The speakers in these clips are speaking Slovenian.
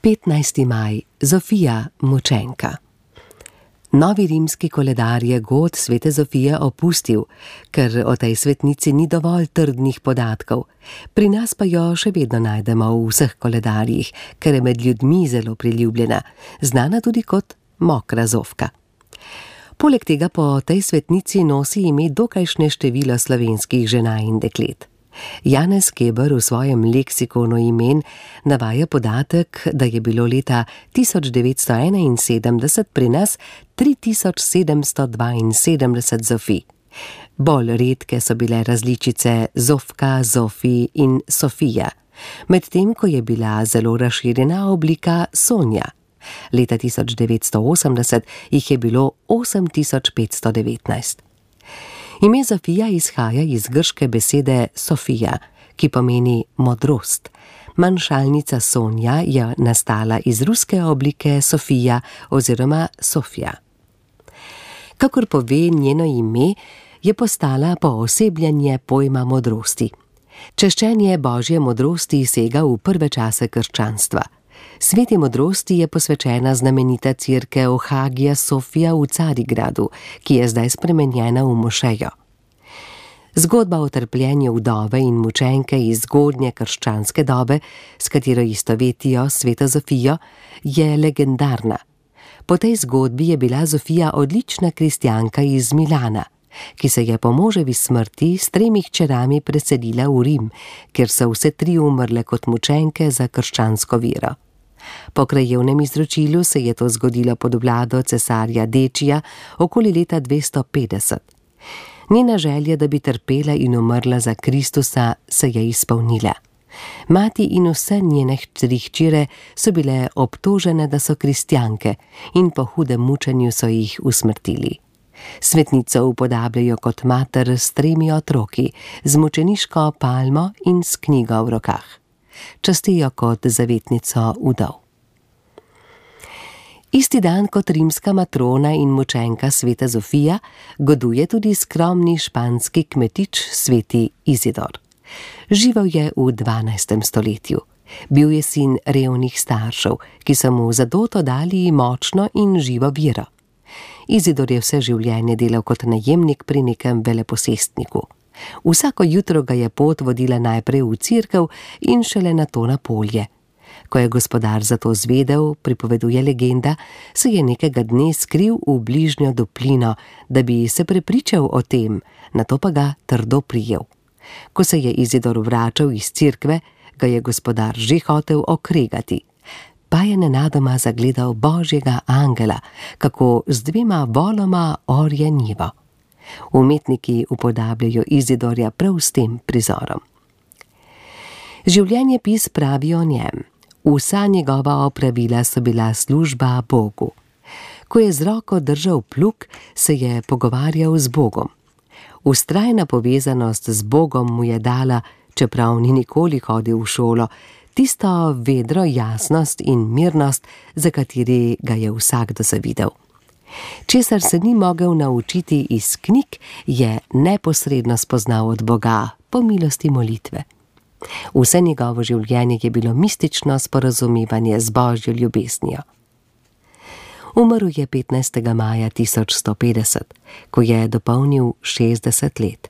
15. maj, Zofija mučenka. Novi rimski koledar je god svete Zofije opustil, ker o tej svetnici ni dovolj trdnih podatkov. Pri nas pa jo še vedno najdemo v vseh koledarjih, ker je med ljudmi zelo priljubljena, znana tudi kot mokra Zofka. Poleg tega po tej svetnici nosi ime dokajšnje število slovenskih žena in deklet. Janez Keber v svojem leksikonu imen navaja podatek, da je bilo leta 1971 pri nas 3772 Zofij. Bolj redke so bile različice Zofka, Zofi in Sofija, medtem ko je bila zelo razširjena oblika Sonja. Leta 1980 jih je bilo 8519. Ime Zofija izhaja iz grške besede Sofija, ki pomeni modrost. Manjšalnica Sonja je nastala iz ruske oblike Sofija oziroma Sofja. Kakor pove njeno ime, je postala poosebljanje pojma modrosti. Češčenje božje modrosti sega v prve čase krščanstva. Sveti modrosti je posvečena znamenita cerkev Hagija Sofija v Carigradu, ki je zdaj spremenjena v mošejo. Zgodba o trpljenju vdove in mučenke iz zgodnje krščanske dobe, s katero istovetijo sveto Zofijo, je legendarna. Po tej zgodbi je bila Zofija odlična kristjanka iz Milana, ki se je po moževi smrti s 3 hčerami preselila v Rim, kjer so vse 3 umrle kot mučenke za krščansko vero. Po krajevnem izročilu se je to zgodilo pod vlado cesarja Dečija okoli leta 250. Njena želja, da bi trpela in umrla za Kristusa, se je izpolnila. Mati in vse njene 3 hčere so bile obtožene, da so kristjanke, in po hudem mučenju so jih usmrtili. Svetnico upodabljajo kot mater s 3 otroki, z mučeniško palmo in s knjigo v rokah. Častijo kot zavetnico vdov. Isti dan kot rimska matrona in mučenka sveta Zofija goduje tudi skromni španski kmetič sveti Izidor. Živel je v 12. stoletju. Bil je sin revnih staršev, ki so mu za doto dali močno in živo vero. Izidor je vse življenje delal kot najemnik pri nekem veleposestniku. Vsako jutro ga je pot vodila najprej v cerkev in šele nato na polje. Ko je gospodar za to zvedel, pripoveduje legenda, se je nekega dne skril v bližnjo doplino, da bi se prepričal o tem, nato pa ga trdo prijel. Ko se je Izidor vračal iz cerkve, ga je gospodar že hotel okregati. Pa je nenadoma zagledal božjega angela, kako z 2 voloma orje njivo. Umetniki upodabljajo Izidorja prav s tem prizorom. Življenjepis pravi o njem: vsa njegova opravila so bila služba Bogu. Ko je z roko držal plug, se je pogovarjal z Bogom. Vztrajna povezanost z Bogom mu je dala, čeprav ni nikoli hodil v šolo, tisto vedro jasnost in mirnost, za kateri ga je vsakdo zavidel. Česar se ni mogel naučiti iz knjig, je neposredno spoznal od Boga po milosti molitve. Vse njegovo življenje je bilo mistično sporazumevanje z božjo ljubeznijo. Umrl je 15. maja 1150, ko je dopolnil 60 let.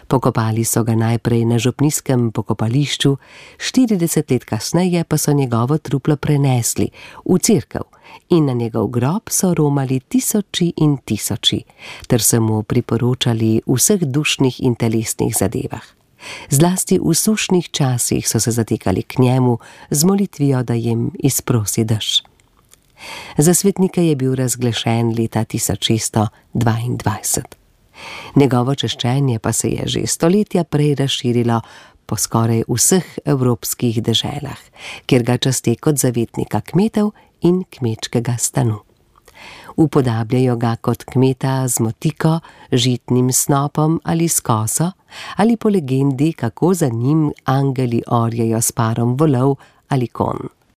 Pokopali so ga najprej na župnijskem pokopališču, 40 let kasneje pa so njegovo truplo prenesli v cerkev in na njegov grob so romali tisoči in tisoči, ter se mu priporočali v vseh dušnih in telesnih zadevah. Zlasti v sušnih časih so se zatekali k njemu z molitvijo, da jim izprosi dež. Za svetnika je bil razglašen leta 1622. Njegovo češčenje pa se je že stoletja prej razširilo po skoraj vseh evropskih deželah, kjer ga časti kot zavetnika kmetov in kmečkega stanu. Upodabljajo ga kot kmeta z motiko, žitnim snopom ali s koso, ali po legendi, kako za njim angeli orjejo s parom volov ali konj.